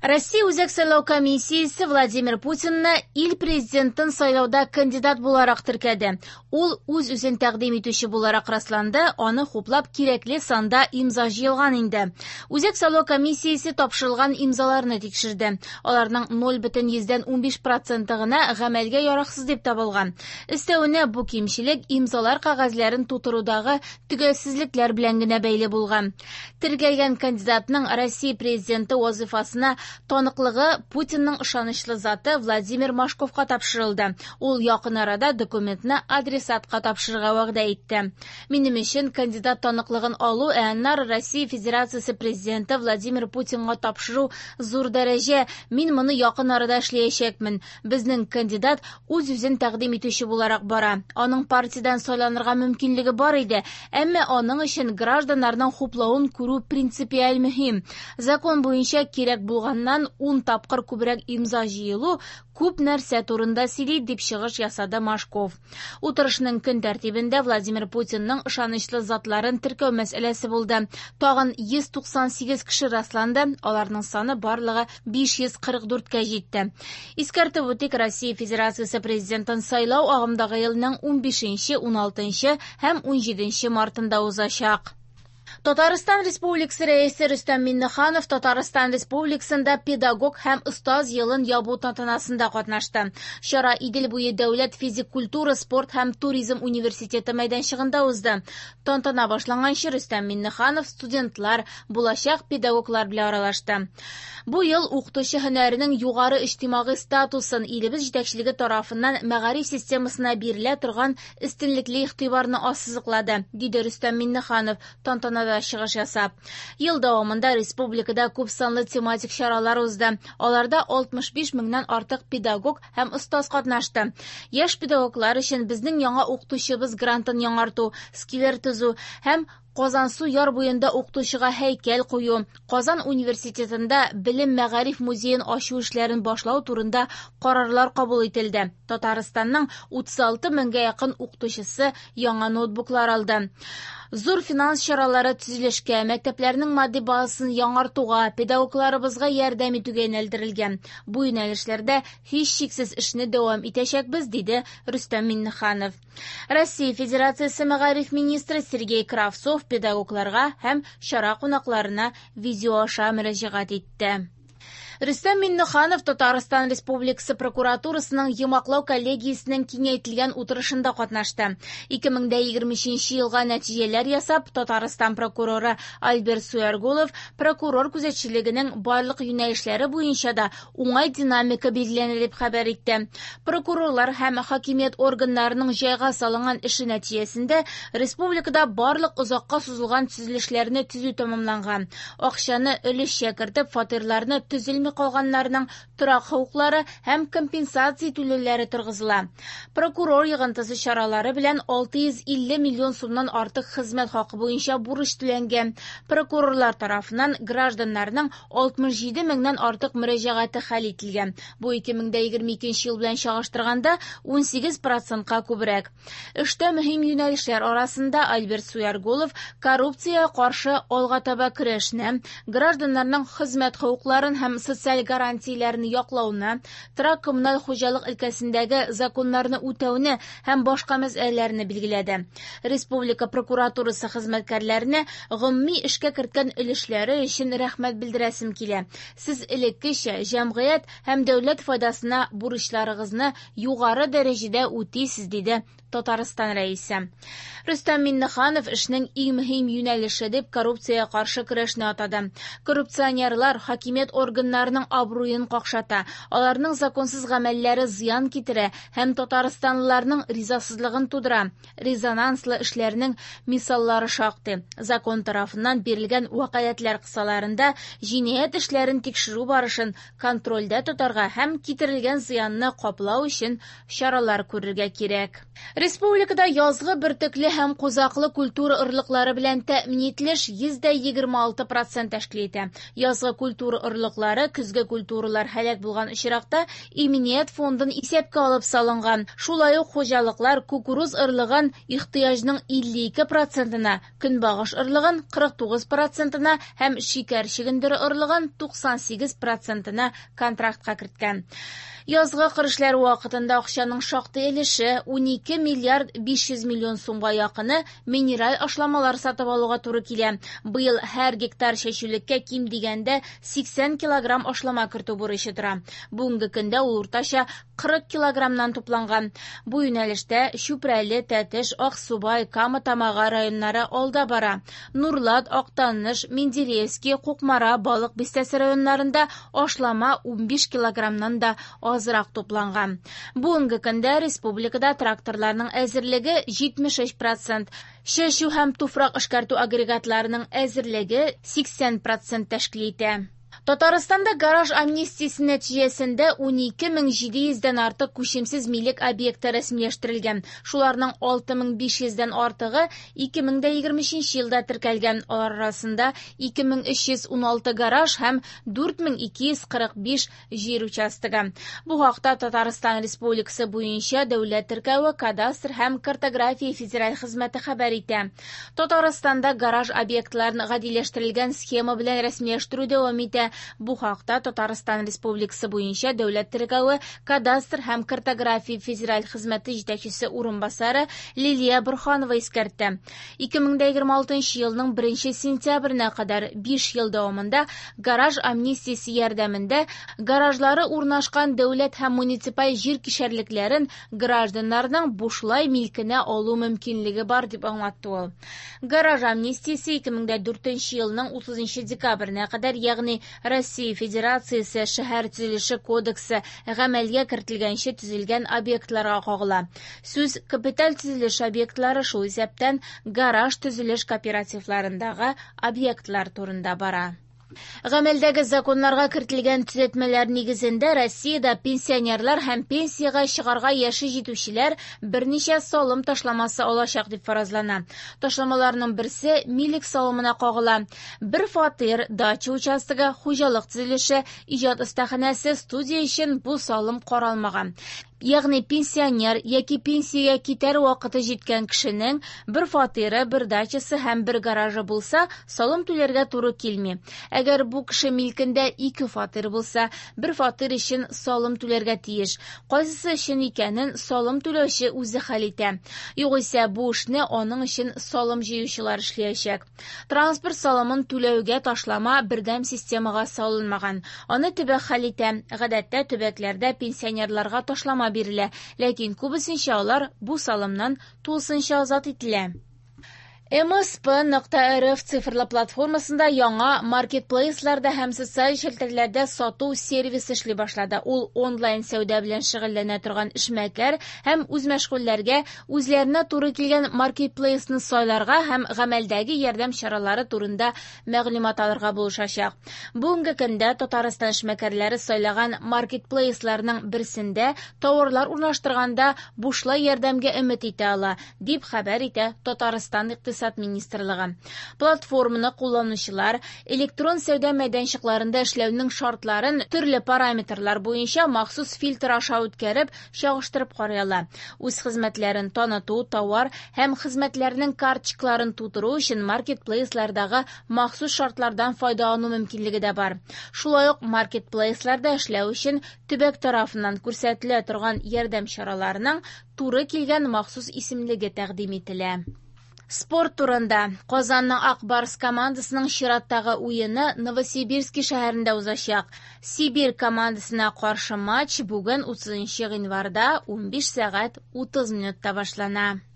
Россия Үзәк сайлау комиссиясе Владимир Путинны ил президентын сайлауда кандидат буларак теркәде. Ул үз-үзен тәкъдим итүче буларак расланды, аны хуплап кирәкле санда имза җыелган инде. Үзәк сайлау комиссиясе тапшырылган имзаларны тикшерде. Аларның 0,15 проценты гына гамәлгә яраксыз дип табылган. Өстәвенә бу кимчелек имзалар кәгазьләрен тутырудагы төгәлсезлекләр белән генә бәйле булган. Теркәлгән кандидатның Россия президенты вазифасына таныклыгы Путинның ышанычлы заты Владимир Машковка тапшырылды. Ул якын арада документны адресатка тапшырырга вәгъдә итте. Минем өчен кандидат таныклыгын алу, ә аннары Россия Федерациясе президенты Владимир Путинга тапшыру зур дәрәҗә. Мин моны якын арада эшләячәкмен. Безнең кандидат үз-үзен тәкъдим итүче буларак бара. Аның партиядән сайланырга мөмкинлеге бар иде, әмма аның өчен гражданнарның хуплавын күрү принципиаль мөһим. Закон буенча кирәк булганнан 10 тапкыр күбрәк имза җыелу күп нәрсә турында сөйли, дип чыгыш ясады Машков. Утырышның көн тәртибендә Владимир Путинның ышанычлы затларын теркәү мәсьәләсе булды. Тагын 198 кеше расланды, аларның саны барлыгы 544-кә җитте. Искәртеп үтик, Россия Федерациясе президентын сайлау агымдагы елның 15, 16 һәм 17 мартында узачак. Татарстан Республикасы Рәисе Рөстәм Миңнеханов Татарстан Республикасында педагог һәм остаз елын ябу тантанасында катнашты. Чара Идел буе дәүләт физик культура, спорт һәм туризм университеты мәйданчыгында узды. Тантана башланганчы Рөстәм Миңнеханов студентлар, булачак педагоглар белән аралашты. Бу ел укытучы һөнәренең югары иҗтимагый статусын илебез җитәкчелеге тарафыннан мәгариф системасына бирелә торган өстенлекле игътибарны ассызыклады, диде Рөстәм Миңнеханов тантанада чыгыш ясап. Ел дәвамында республикада күп санлы тематик чаралар узды. Аларда 65 меңнән артык педагог һәм остаз катнашты. Яшь педагоглар өчен безнең яңа укытучыбыз грантын яңарту, сквер төзү һәм Казансу яр буенда укытучыга һәйкәл кую, Казан университетында белем мәгариф музеен ачу эшләрен башлау турында карарлар кабул ителде. Татарстанның 36 меңгә якын укытучысы яңа ноутбуклар алды. Зур финанс чаралары төзелешкә, мәктәпләрнең матди базасын яңартуга, педагогларыбызга ярдәм итүгә юнәлдерелгән. Бу юнәлешләрдә һичшиксез эшне дәвам итәчәкбез, диде Рөстәм Миңнеханов. Россия Федерациясе мәгариф министры Сергей Кравцов педагогларга һәм чара кунакларына видео аша мөрәҗәгать итте. Рөстәм Миңнеханов Татарстан Республикасы прокуратурасының йомгаклау коллегиясенең киңәйтелгән утырышында катнашты. 2023 елга нәтиҗәләр ясап, Татарстан прокуроры Альберт Суяргулов прокурор күзәтчелегенең барлык юнәлешләре буенча да уңай динамика билгеләнә дип хәбәр итте. Прокурорлар һәм хакимият органнарының җайга салынган эше нәтиҗәсендә республикада барлык озакка сузылган төзелешләрне төзү тәмамланган. Акчаны өлешчә кертеп, фатирларны төзелми калганнарның торак хокуклары һәм компенсация түләүләре торгызыла. Прокурор йогынтысы чаралары белән 650 миллион сумнан артык хезмәт хакы буенча бурыч түләнгән. Прокурорлар тарафыннан гражданнарның 67 меңнән артык мөрәҗәгате хәл ителгән. Бу 2022 ел белән чагыштырганда 18%-ка күбрәк. Эштә мөһим юнәлешләр арасында Альберт Суяргулов коррупциягә каршы алга таба көрәшне, гражданнарның хезмәт хокукларын һәм социаль гарантияләрне яклауны, торак коммуналь хуҗалык өлкәсендәге законнарны үтәүне һәм башка мәсьәләләрне билгеләде. Республика прокуратурасы хезмәткәрләренә гомуми эшкә керткән өлешләре өчен рәхмәт белдерәсем килә. Сез элеккечә җәмгыять һәм дәүләт файдасына бурычларыгызны югары дәрәҗәдә үтисез, диде Татарстан рәисе. Рөстәм Миңнеханов эшнең иң мөһим юнәлеше дип коррупциягә каршы көрәшне атады. Коррупционерлар хакимият органнарының абруен какшата, аларның законсыз гамәлләре зыян китерә һәм татарстанлыларның ризасызлыгын тудыра. Резонанслы эшләрнең мисаллары шактый. Закон тарафыннан бирелгән вәкаләтләр кысаларында җинаять эшләрен тикшерү барышын контрольдә тотарга һәм китерелгән зыянны каплау өчен чаралар күрергә кирәк. Республикада язгы бөртекле һәм кузаклы культура орлыклары белән тәэмин ителеш 26% тәшкил итә. Язгы культура орлыклары көзге культуралар һәлак булган очракта иминият фондын исәпкә алып салынган. Шулай ук хуҗалыклар кукуруз орлыгын ихтыяҗның 52%-на, көнбагыш орлыгын 49%-на һәм шикәр чөгендере орлыгын 98%-на контрактка керткән. Язгы кыр эшләре вакытында акчаның шактый өлеше 12 миллиард 500 миллион сумга якыны минераль ашламалар сатып алуга туры килә. Быел һәр гектар чәчүлеккә ким дигәндә 80 килограмм ашлама кертү бурычы тора. Бүгенге көндә ул уртача 40 килограммнан тупланган. Бу юнәлештә Чүпрәле, Тәтеш, Аксубай, Кама Тамагы районнары алда бара. Нурлат, Актаныш, Менделеевский, Кукмара, Балык Бистәсе районнарында ашлама 15 килограммнан да азрак тупланган. Бүгенге көндә республикада тракторларның әзерлеге 73%, чәчү һәм туфрак эшкәртү агрегатларының әзерлеге 80% тәшкил итә. Татарстанда гараж амнистиясе нәтиҗәсендә 12700дән артык күчемсез милек объекты рәсмиләштерелгән. Шуларның 6500дән артыгы 2023 елда теркәлгән. Алар арасында 2316 гараж һәм 4245 җир участогы. Бу хакта Татарстан Республикасы буенча дәүләт теркәве, кадастр һәм картография федераль хезмәте хәбәр итә. Татарстанда гараж объектларын гадиләштерелгән схема белән рәсмиләштерү дәвам итә. Бу хакта Татарстан Республикасы буенча дәүләт теркәве, кадастр һәм картография федераль хезмәте җитәкчесе урынбасары Лилия Бурханова искәртте. 2026 елның 1 сентябренә кадәр 5 ел дәвамында гараж амнистиясе ярдәмендә гаражлары урнашкан дәүләт һәм муниципаль җир кишәрлекләрен гражданнарның бушлай милкенә алу мөмкинлеге бар дип аңлатты ул. Гараж амнистиясе 2004 елның 30 декабренә кадәр, ягъни Россия Федерациясе шәһәр төзелеше кодексы гамәлгә кертелгәнче төзелгән объектларга кагыла. Сүз капиталь төзелеш объектлары, шул исәптән гараж төзелеш кооперативларындагы объектлар турында бара. Гамәлдәге законнарга кертелгән төзәтмәләр нигезендә Россиядә пенсионерлар һәм пенсиягә чыгарга яше җитүчеләр берничә салым ташламасы алачак дип фаразлана. Ташламаларның берсе милек салымына кагыла. Бер фатир, дача участогы, хуҗалык төзелеше, иҗат остаханәсе, студия өчен бу салым каралмаган. Ягъни пенсионер яки пенсиягә китәр вакыты җиткән кешенең бер фатиры, бер дачасы һәм бер гаражы булса, салым түләргә туры килми. Әгәр бу кеше милкендә ике фатир булса, бер фатир өчен салым түләргә тиеш. Кайсысы өчен икәнен салым түләүче үзе хәл итә. Югыйсә бу эшне аның өчен салым җыючылар эшләячәк. Транспорт салымын түләүгә ташлама бердәм системага салынмаган. Аны төбәк хәл итә. Гадәттә төбәкләрдә пенсионерларга ташлама бирелә, ләкин күбесенчә алар бу салымнан тулысынча азат ителә. msp.rf цифрлы платформасында яңа маркетплейсларда һәм социаль челтәрләрдә сату сервисы эшли башлады. Ул онлайн сәүдә белән шөгыльләнә торган эшмәкәр һәм үзмәшгульләргә үзләренә туры килгән маркетплейсны сайларга һәм гамәлдәге ярдәм чаралары турында мәгълүмат алырга булышачак. Бүгенге көндә Татарстан эшмәкәрләре сайлаган маркетплейсларның берсендә тауарлар урнаштырганда бушлай ярдәмгә өмет итә ала, дип хәбәр итә Татарстан икътисад министрлыгы. Платформаны кулланучылар электрон сәүдә мәйданчыкларында эшләүнең шартларын төрле параметрлар буенча махсус фильтр аша үткәреп, чагыштырып карый ала. Үз хезмәтләрен таныту, тауар һәм хезмәтләрнең карточкаларын тутыру өчен маркетплейслардагы махсус шартлардан файдалану мөмкинлеге дә бар. Шулай ук маркетплейсларда эшләү өчен төбәк тарафыннан күрсәтелә торган ярдәм чараларының туры килгән махсус исемлеге тәкъдим ителә. Спорт турында. Казанның Ак Барс командасының чираттагы уены Новосибирский шәһәрендә узачак. Сибирь командасына каршы матч бүген 30 гыйнварда 15 сәгать 30 минутта башлана.